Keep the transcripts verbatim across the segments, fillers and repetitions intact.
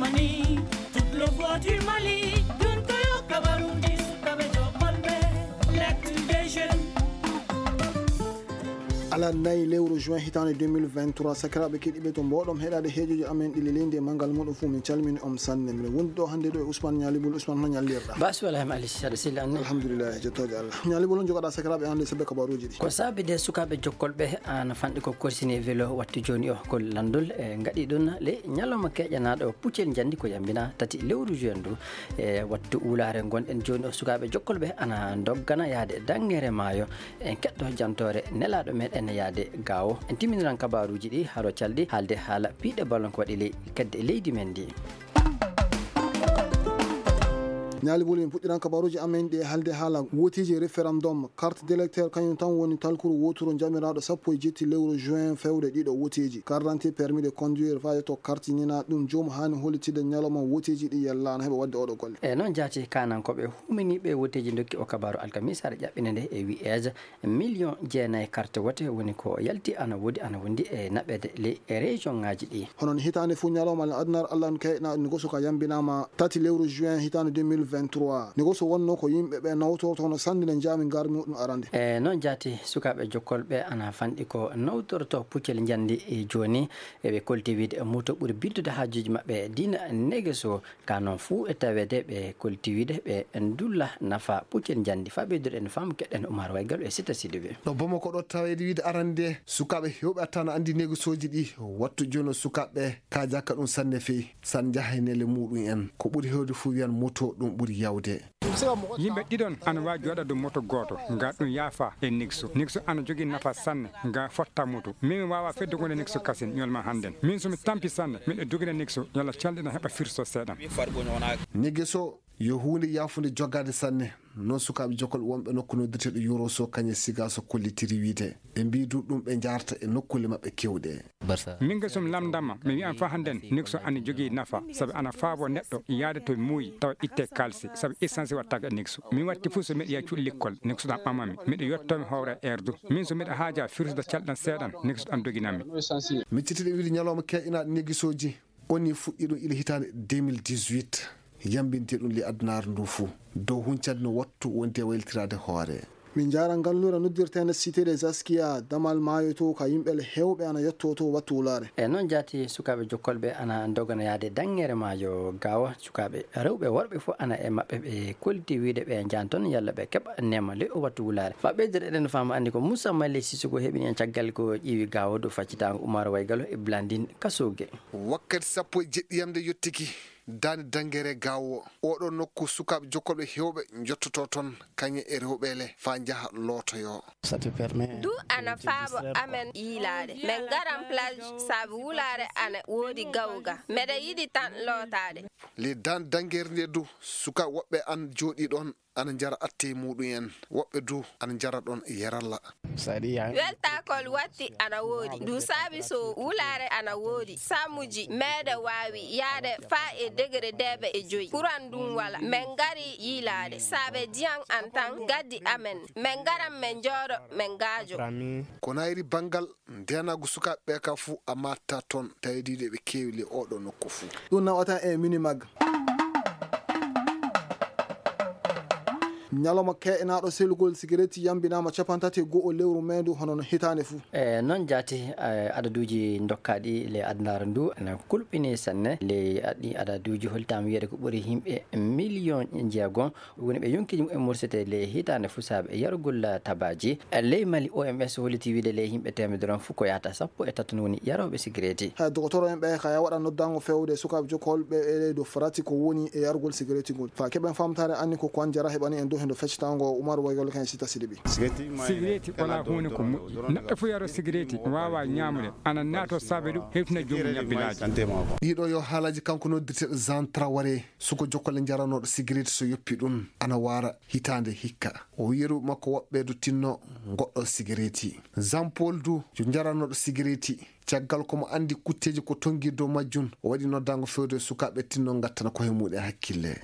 Mali, toute le voix du Mali, ɗun ko yo kabaruuji sukaaɓe jokkolɓe, l'actu des jeunes. Alarba nayi lewru juin hitaande deux mille vingt-trois, sakiraaɓe keɗiiɓe to mbooɗon heɗaade heejooji amen ɗi lelii e manngal muuɗum fuu, min calmini on sanne. Miɗo wondi ɗoo hannde ɗoo e Ousmane Ñaali Bul. Ousmane, hono ñallirɗaa? Ba suwala hem Ali Sisade Silla anne. Alhamdulillahi, jettooje Allah. Ñaali Bul, on jogaɗaa sakiraaɓe hannde sabbe kabaruuji ɗi? Ko saabi de sukaaɓe jokkolɓe ana fanɗi ko korsini e welo wattu jooni o ko lanndol e ngaɗi ɗun le ñalawma keƴanaaɗo puccel njanndi ko yambina tati lewru juin ndu. E wattu wulaare ngonɗen jooni o, sukaaɓe jokkolɓe ana ndoggana yaade danŋere maayo. En keɗɗo jantoore nelaaɗo meɗen yaade Gaawo. En timminiran kabaaruuji ɗi haro calɗi haalde haala piiɗe ballon ko waɗi ley kedde leydi men ndi. Ñaali Bul, min puɗɗiran kabaaruuji amen ɗi e haalde haala wooteeji référendum. Carte d'électeur kañum tan woni talkuru wooturu jamiraaɗo sappo e jetti lewru juin fewde ɗiɗo wooteeji. Carte d'identité, permis de conduire, faa yetto carte ninaa ɗum, joomum haani hollitinde ñalawma wooteeji ɗi yalla ana heɓa waɗde ooɗoo golle. E noon jaati kaanankooɓe huuminiiɓe wooteeji ndokki o kabaaru alkamiisa aɗa ƴaɓɓina nde e wiyeeje miliyoŋ jeenayi carte wote woni ko yalti ana woodi ana wondi e naɓeede ley e région ŋaaji ɗi. Hono no hitaande fuu ñalawma le adunaaru Alla no kayɗinaa ɗum, negoso ka yambinaama tati lewru juin hitaande deux mille vingt-trois. Negoso wonnoo ko yimɓe ɓe nawtorto hono sanndinde jaami ngarmi muɗum arande. E noon jaati sukaaɓe jokkolɓe ana fanɗi ko nawtorto puccel njanndi e jooni. Eɓe kolti wiide moto ɓuri biddude haajuuji maɓɓe diina negeso. Ka noon fuu e taweede ɓe kolti wiide ɓe ndulla nafa puccel njanndi. Faa ɓeyduɗen faamu keɗen Umar Waygal e Sita Sidibe. Ɗo Bamako ɗo taweede wiide arande sukaaɓe heewɓe attana anndi negesooji ɗi wattu jooni o sukaaɓe kaajaaka ɗum sanne fey san njaha e nele muuɗum en. Ko ɓuri heewde fuu wiyan moto ɗum ɓuri yawde. Yimɓe ɗiɗon ana waawi jooɗaade dow moto gooto, nga ɗum yaafa e Nexo. Nexo ana jogii nafa sanne, nga fotta moto. Min mi waawaa feddugo e Nexo kasen, ñolma hannden. Min so mi tampi sanne, miɗo dogina Nexo, yalla calɗi na heɓa firso seeɗan. Nexo yo huunde yaafunde jogaade sanne. Noon sukaaɓe jokkol wonɓe nokku noddirteeɗo Yoroso kañe Sigaso kollitiri wiide. Ɓe mbii du ɗum ɓe njaarta e nokkuule maɓɓe keewɗe. Min nge so mi lamndaama, mi wiyan faa hannden, Nexo ana jogii nafa, sabi ana faabo neɗɗo yaade to muuyi tawa ittee kaalisi, sabi essence wattaaka e Nexo. Mi watti fuu so miɗo yaha cuuɗi lekkol, Nexo ɗan ɓamami. Miɗo yottoo mi howra e eerdu. Min so miɗo haaja firsude calɗan seeɗan, Nexo ɗan doginammi. Miccitiiɗo wiide ñalawma keeƴinaaɗo negesooji, on nii fuɗɗii ɗum ila hitaande deux mille dix-huit. Yambintee ɗum ley adunaaru nduu fuu. Dow huncande no wattu wonti e waylitiraade hoore. Min njaara ngalluure noddirteende Cité des Askia, damal maayo to, ka yimɓe le heewɓe ana yottoo to wattu wulaare. E noon jaati sukaaɓe jokkolɓe ana ndogana yaade danŋere maayo Gaawo. Sukaaɓe rewɓe worɓe fof ana e maɓɓe ɓe kolti wiide ɓe njahan toon yalla ɓe keɓa neema le o wattu wulaare. Faa ɓeydere eɗen faama anndi ko Moussa Malle Sissoko heɓini en caggal ko ƴiiwi Gaawo dow faccitaango Umar Waygalo e Blandine Kasooge. Wakkati sappo e jeɗɗi yamde yottiki. Daande danŋere Gaawo, ooɗoo nokku sukaaɓe jokkolɓe heewɓe njottotoo toon, kañe e rewɓe le, faa njaha lootoyoo. Ɗum ana faabo amen yiilaade. Min ngaran plage sabi wulaare ana woodi gawga. Miɗo yiɗi tan lootaade. Ley daande danŋere ndee du, sukaaɓe woɓɓe ana jooɗii ɗoon, ana njara attee muuɗum en, woɓɓe du ana njara ɗoon yaralla. Weltaakol watti ana woodi. Ɗum saabi so wulaare ana woodi, samuuji meɗe waawi yahde faa e degere deeɓe e joy. Kuran ɗum wala. Min ngari yiilaade. Saabe ndiyan an tan gaddi amen. Min ngaran min njooɗo, min ngaajo. Ko naayri banngal ndeenaagu sukaaɓe ɓee ka fuu a maattaa toon, tawi diiɗe ɓe keewi ley ooɗoo nokku fuu. Ɗum nawata e Minimag. Ñalawma keeƴanaaɗo selugol sigaretti yambinaama cappanɗe tati e go'o lewru mee ndu, hono no hitaande fuu. E noon jaati, e, adaduuji ndokkaaɗi ley adunaaru ndu ana kulɓinii sanne. Ley ɗii adaduuji hollitaama wiyeede ko ɓuri yimɓe miliyoŋ jeegom woni ɓe yonkiiji mumen mursetee ley hitaande fuu saabe yarugol tabaaji. Ley Mali, O M S holliti wiide ley yimɓe teemedere on fuu ko yahata sappo e tato woni yarooɓe sigareeti. Hay dogotoro en ɓe kaya waɗa noddaango feewde sukaaɓe jokkolɓe e ley dow farati ko woni e yarugol sigareeti ngol. Faa keɓen faamtaare anni ko ko an jara heɓani en dow hendo feccitaango Umar Waygol kan e Sita Sidibi. Sigareeti walaa huunde ko moƴƴi. Neɗɗo fuu yaroo sigareeti waawaa ñaamude. Ana naatoo saabe ɗum hewtina joomum ñabbilaaji. Ɗiiɗo yo haalaaji kanko noddirteeɗo Jean Traoré. Suko jokkole njaranooɗo sigareeti so yoppi ɗum, ana waara hitaande hikka. O wiyeru makko woɓɓe du tinno ngoɗɗo sigareeti. Jean Paul du yo njaranooɗo sigareeti. Caggal ko mo anndi kutteeji ko tonngi dow majjum, o waɗi noddaango fewde sukaaɓe tinno ngattana koye muɗum hakkille.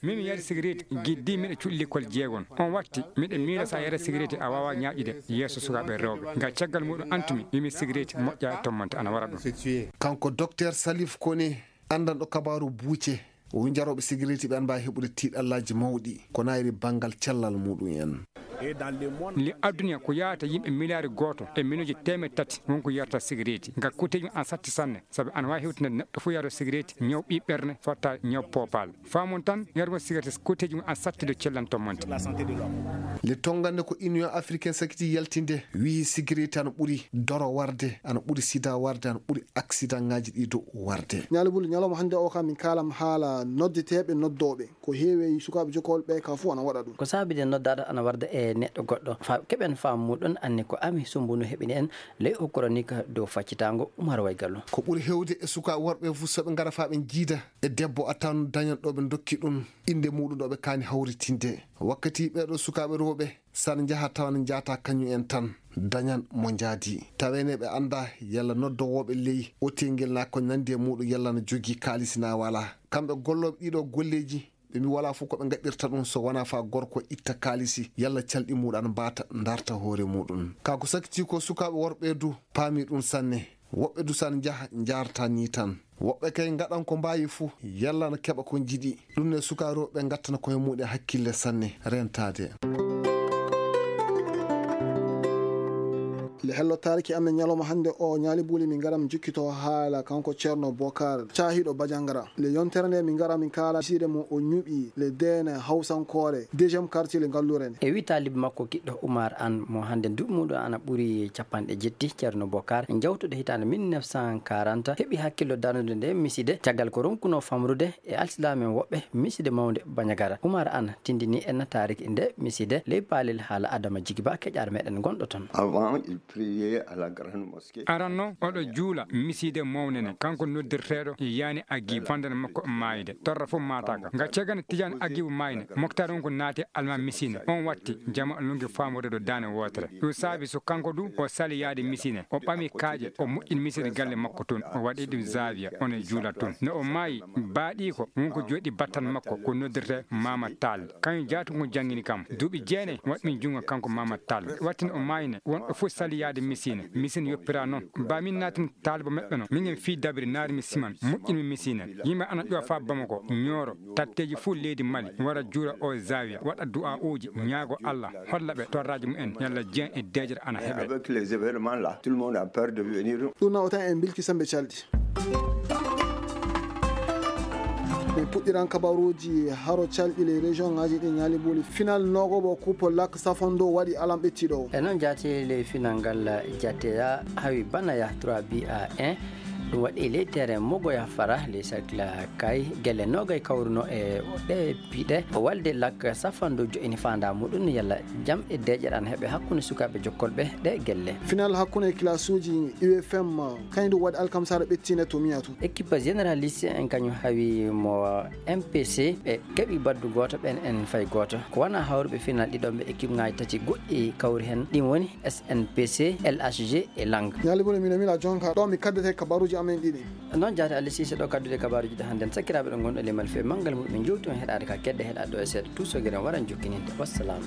Min mi yari sigareeti giddi miɗo cuɗi lekkol jeegon. On watti miɗo miila so a yara sigareeti a waawaa ñaaƴude yeeso sukaaɓe rewɓe. Ngal caggal muɗum antumi wimi sigareeti moƴƴa tommante ana wara ɗum. Kanko Docteur Salif Koné, Anndanɗo kabaaru buuce, o wii jarooɓe sigareeti ɓee ana mbaawi heɓude tiiɗallaaji mawɗi ko naayri banngal cellal muuɗum en. Li aduna ko yahata yimɓe miliyaari gooto e miliyonji teemeɗɗe tati won ko yarata sigareeti. Ngal kuuteeji mum ana satti sanne, sabi ana waawi hewtinde neɗɗo fof yaroo sigareeti, ñaw ɓii ɓerne, fotta ñaw poopaal. Faamon tan, yargol sigareeti kuuteeji mum ana satti dow cellal tommonte. Le tongande ko Union Africaine sakiti yaltinde, wiyi sigareeti ana ɓuri doro warde, ana ɓuri sida warde, ana ɓuri aksidaŋaaji ɗii dow warde. Ñaali Buli, ñalawma hannde o ka min kaalam haala noddeteeɓe noddooɓe. Ko heewi e sukaaɓe jokkool ɓee ka fof ana waɗa ɗum. Ko saabii de noddaaɗo ana warda e neɗɗo goɗɗo. Fa-, keɓen faamu muuɗum anni ko ami sumbunu heɓini en ley o koronik dow faccitaango Umar Waygalu. Ko ɓuri heewde e sukaaɓe worɓe fof so ɓe ngara faa ɓe njiida e debbo a tawan dañan ɗo ɓe ndokki ɗum innde muuɗum ɗo ɓe kaani hawritinde. Wakkati ɓee ɗoo sukaaɓe rewɓe so ana njaha tawa ana njaata kañum en tan, dañan mo njaadi. Taweene ɓe anndaa yalla noddowooɓe ley otel ngel naa ko nanndi e muuɗum yalla ana jogii kaalisi naa walaa. Kamɓe gollooɓe ɗii ɗoo golleeji, ɓe mbii walaa fof ko ɓe ngaɗirta ɗum so wanaa faa gorko itta kaalisi yalla calɗi muuɗum ana mbaata ndarta hoore muuɗum. Kaa ko sakitii ko sukaaɓe worɓe du paamii ɗum sanne. Woɓɓe du so ana njaha njaarta nii tan. Woɓɓe kay ngaɗan ko mbaawi fof yalla ana keɓa ko njiɗi. Ɗum ne sukaaɓe rewɓe ɓee ngattana koye muuɗum hakkille sanne rentaade. Le hello taariki amen ñalawma hannde o Ñaali Buli min ngara min njukkitoo haala kanko Ceerno Bokar caahiiɗo Bajangara. Le yontere nde min ngara min kaala siide mo o ñuɓi le deene hawsankoore deuxième quartier le ngalluure nde. E wii taalibe makko kiɗɗo Umar An mo hannde duuɓi muuɗum ana ɓuri capanɗe jetti, Ceerno Bokar njawtuɗo hitaande mille neuf cent quarante heɓi hakkillo darnude nde miside caggal ko ronkunoo famrude e alsilaam'en woɓɓe miside mawnde Bañagara. Umar An tindinii en taariki nde miside ley paalel haala Adama Jigiba keƴaar meɗen ngonɗo toon. Avant, il priait à la grande mosquée. Aranno oɗo juula miside mawnde ne, kanko noddirteeɗo yani Agibu fandana makko maayde torra fof maataaka. Nga cagana Tijaan Agibu maayne, moktaar on ko naati alma misine. On watti jama lungi faamude ɗo daane wootere. Ɗum saabi so kanko du o sali yaade misine, o ɓami kaaƴe, o moƴƴini misine galle makko tun, o waɗi ɗum zaawiya, on e juula tun. No o maayi, baaɗiiko won ko jooɗi battal makko ko noddirtee Maama Taal. Kañum jaati ko janngini kam. Duuɓi jeenay waɗmi junngo kanko Maama Taal. Wattini o maayne, won ɗo fof sali yaade misine. Misine yoppira noon. Ba min naatini taalibo meɓɓe no. Minen fii dabiri naari mi siman, moƴƴini mi misine. Yimɓe ana ƴowa faa Bamako, Ñooro, tatteeji fof leydi Mali, wara juura o zaawiya, waɗa du'aa'uuji, ñaago Alla, holla ɓe torraaji mumen, yalla jeen e deeƴere ana heɓe. Avec les événements là, tout le monde a peur de venir. Ɗum nawata en bilki sembe calɗi. Min puɗɗiran kabaruuji haro calɗi ley région ŋaaji ɗi Ñaali Buli. Final noogooɓo coupe Lac Safando waɗi alam ɓettiiɗo o. E noon jaati ley final ngal jateya hawi banaya trois buts à un. Ɗum waɗi ley terrain Mogoya Fara ley cercle Kay. Gelle noogay kawruno e ɗe piɗe. O walde Lac Safando jo'ini faandaa muɗum yalla jam e deeƴere ana heɓe hakkunde sukaaɓe jokkolɓe ɗe gelle. Final hakkunde kilasuuji U F M kañum waɗi alkamsaare ɓettiinde to Miya to. Équipe généraliste en kañum hawi mo M P C, ɓe keɓi baddu gooto, ɓen en fay gooto. Ko wanaa hawruɓe final ɗiɗon ɓe équipe ŋaaji tati goɗɗi kawri hen, ɗin woni S N P C, L H G e Lang. Ñaali Buli, mino mila jonka ɗo mi kaddete kabaruuji amen ɗiɗi. Noon jaati Alla Siise ɗo kaddude kabaruuji ɗo hannden. Sakiraaɓe ɗo ngonɗo limal fee manngal muɗum, min jowti on heɗaade ka kedde heɗaade ɗo e seeɗa tuusogere waran jokkininde. Wassalaamu.